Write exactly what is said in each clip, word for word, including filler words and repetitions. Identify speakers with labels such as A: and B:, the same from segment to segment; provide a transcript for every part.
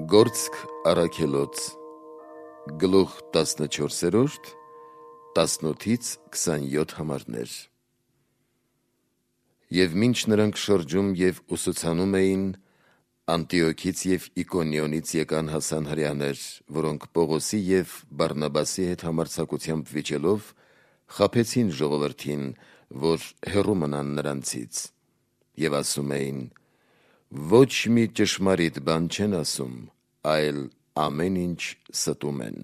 A: Գործք առաքելոց գլուխ տասնչորսերորդ տասնութից քսանյոթ համարներ։ Եվ մինչ նրանք շրջում և ուսուցանում էին, Անտիոքից և Իկոնիոնից եկան հասան հրեաներ, որոնք Պողոսի և Բարնաբասի հետ համարձակությամբ վիճելով խաբեցին ժողովրդին, որ հեռու մնան նրանցից, և ասում էին. ոչ մի ճշմարիտ բան չեն ասում, այլ ամեն ինչ ստում են։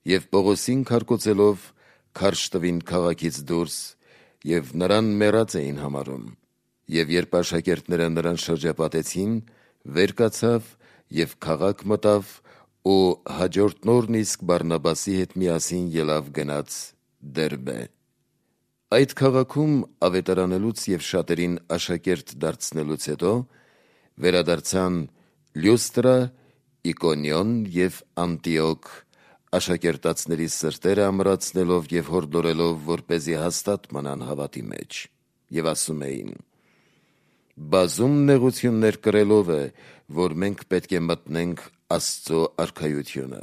A: Եվ Պողոսին քարկոծելով քարշ տվին քաղաքից դուրս և նրան մեռած էին համարում։ Եվ երբ աշակերտները նրան շրջապատեցին, վեր կացավ և քաղաք մտավ ու հաջորդ օրն իսկ Բարնաբասի հետ միասին ելավ գնաց Դերբե։ Այդ քաղաքում ավետարանելուց և շատերին աշակերտ դարձնելուց հետո վերադարձան Լյուստրա, Իկոնիոն և Անտիոք, աշակերտածների սրտերը ամրացնելով և հորդորելով, որպեսզի հաստատ մնան հավատի մեջ, և ասում էին. բազում նեղություններ կրելով է, որ մենք պետք է մտնենք Աստծո արքայությունը։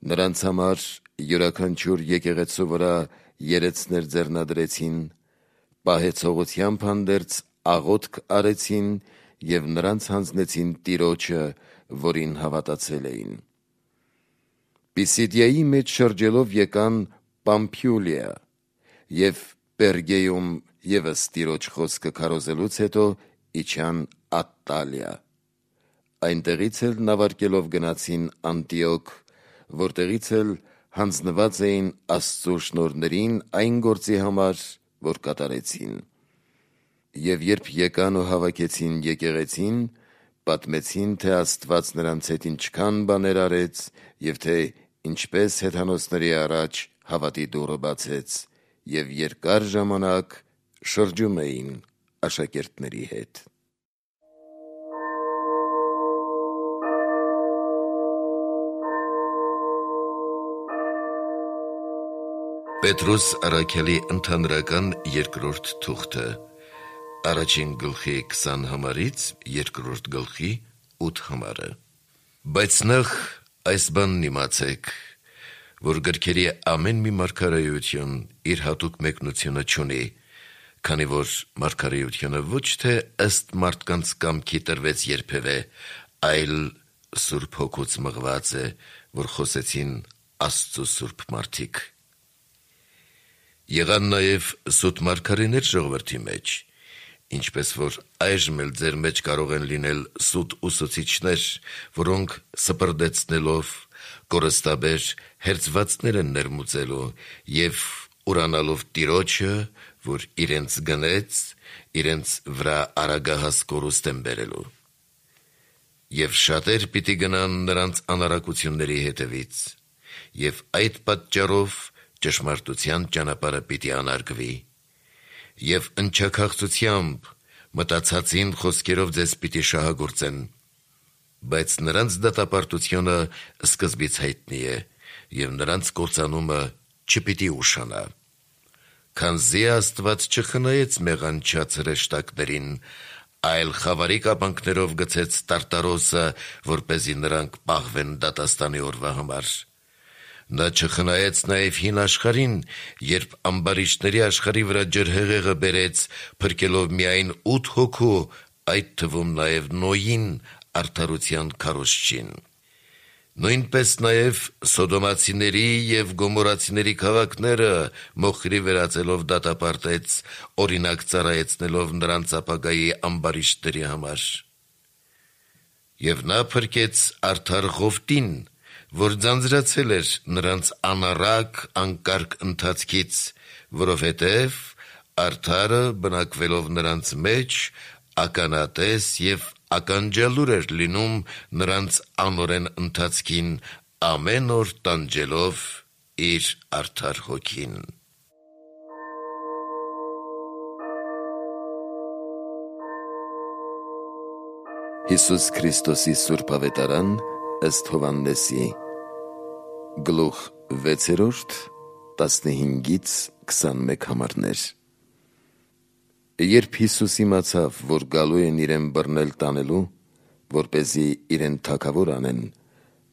A: Նրանց համար յուրաքանչյուր եկեղեցու վրա երեցներ ձեռնադրեցին, պահեցողությամբ հանդերձ աղոթք արեցին և նրանց հանձնեցին Տիրոջը, որին հավատացել էին։ Պիսիդիայի մեջ շրջելով եկան Պամփիուլիա և Պերգեում ևս Տիրոջ խոսքը քարոզելուց հետո իջան Ատտալիա։ Այնտեղից էլ նավարկելով գնացին Անտիոք, որտեղից էլ հանձնված էին Աստծո շնորհներին այն գործի համար, որ կատարեցին։ Եվ երբ եկան ու հավաքեցին եկեղեցին, պատմեցին, թե Աստված նրանց հետ ինչքան բաներ արեց և թե ինչպես հեթանոսների առաջ հավատի դուռը բացեց, և երկար ժամանակ շրջում էին աշակերտների հետ։ Պետրոս առաքյալի ընդհանրական երկրորդ թուղթը, առաջին գլխի քսան համարից երկրորդ գլխի ութ համարը։ Բայց նախ այս բանն իմացեք, որ գրքերի ամեն մի մարգարեություն իր հատուկ մեկնությունը չունի, քանի որ մարգարեությունը ոչ թե ըստ մարդկանց կամքի տրվեց երբևէ, այլ Սուրբ Հոգուց մղված է, որ խոսեցին Աստծո սուրբ մարդիկ։ Եղան նաև սուտ մարգարեներ ժողովրդի մեջ, ինչպես որ այժմ էլ ձեր մեջ կարող են լինել սուտ ուսուցիչներ, որոնք սպրդեցնելով կորստաբեր հերձվածներ են ներմուծելու և ուրանալով Տիրոջը, որ իրենց գնեց, իրենց վրա արագահաս կորուստ են բերելու։ Եվ շատեր պիտի գնան նրանց անառակությունների հետևից, և այդ պատճառով ճշմարտության ճանապարհը պիտի անարգվի, և ընչաքաղցությամբ մտածածին խոսքերով ձեզ պիտի շահագործեն, բայց նրանց դատապարտությունը սկզբից հայտնի է, և նրանց կործանումը չպիտի ուշանա։ Քանզի Աստված չխնայեց մեղանչած հրեշտակներին, այլ խավարի կապանքներով գցեց տարտարոսը, որպեսզի նրանք պահվեն դատաստանի օրվա համար։ Նա չխնայեց նաև հին աշխարհին, երբ ամբարիշտների աշխարհի վրա ջրհեղեղը բերեց, փրկելով միայն ութ հոգու, այդ թվում նաև Նոյին, արդարության քարոզչին։ Նույնպես նաև Սոդոմացիների և Գոմորացիների քաղաքները մոխրի վերածելով դատապարտեց, օրինակ ծառայեցնելով նրանց ապագայի ամբարիշտների համար։ Եվ նա փրկեց արդար Ղովտին, որ ձանձրացել էր նրանց անառակ, անկարգ ընթացքից, որովհետև արդարը բնակվելով նրանց մեջ ականատես և ականջալուր էր լինում նրանց անօրեն ընթացքին, ամեն օր տանջելով իր արդար Հոգին։ Հիսուս Քրիստոսի սուրբ ավետարան ըստ Հովհաննեսի գլուխ վեցերորդ տասնհինգից քսանմեկ համարներ։ Երբ Հիսուս իմացավ, որ գալու են իրեն բռնել տանելու, որպեսզի իրեն թագավոր անեն,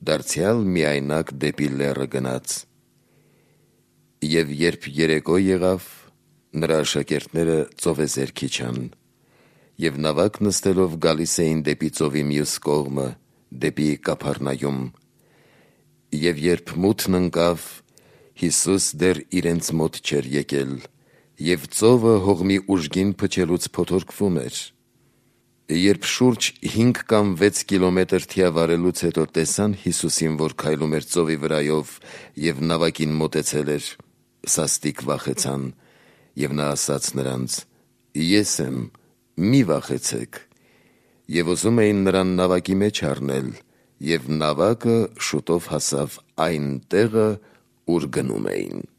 A: դարձյալ միայնակ դեպի լեռը գնաց։ Եվ երբ երեկո եղավ, նրա աշակերտները ծովեզերք իջան, և նավակ նստելով գալիս էին դեպի ծովի մյուս կողմը, դեպի Կափառնայում։ Եվ երբ մութն ընկավ, Հիսուս դեռ իրենց մոտ չէր եկել, և ծովը հողմի ուժգին փչելուց փոթորկվում էր։ Երբ շուրջ հինգ կամ վեց կիլոմետր թիավարելուց հետո տեսան Հիսուսին, որ քայլում էր ծովի վրայով և նավակին մոտեցել էր, սաստիկ վախեցան, և նա ասաց նրանց. «Ես եմ, մի վախեցեք»։ Եվ ուզում էին նրան նավակի մեջ առնել, և նավակը շուտով հասավ այն տեղը, ուր գնում էին։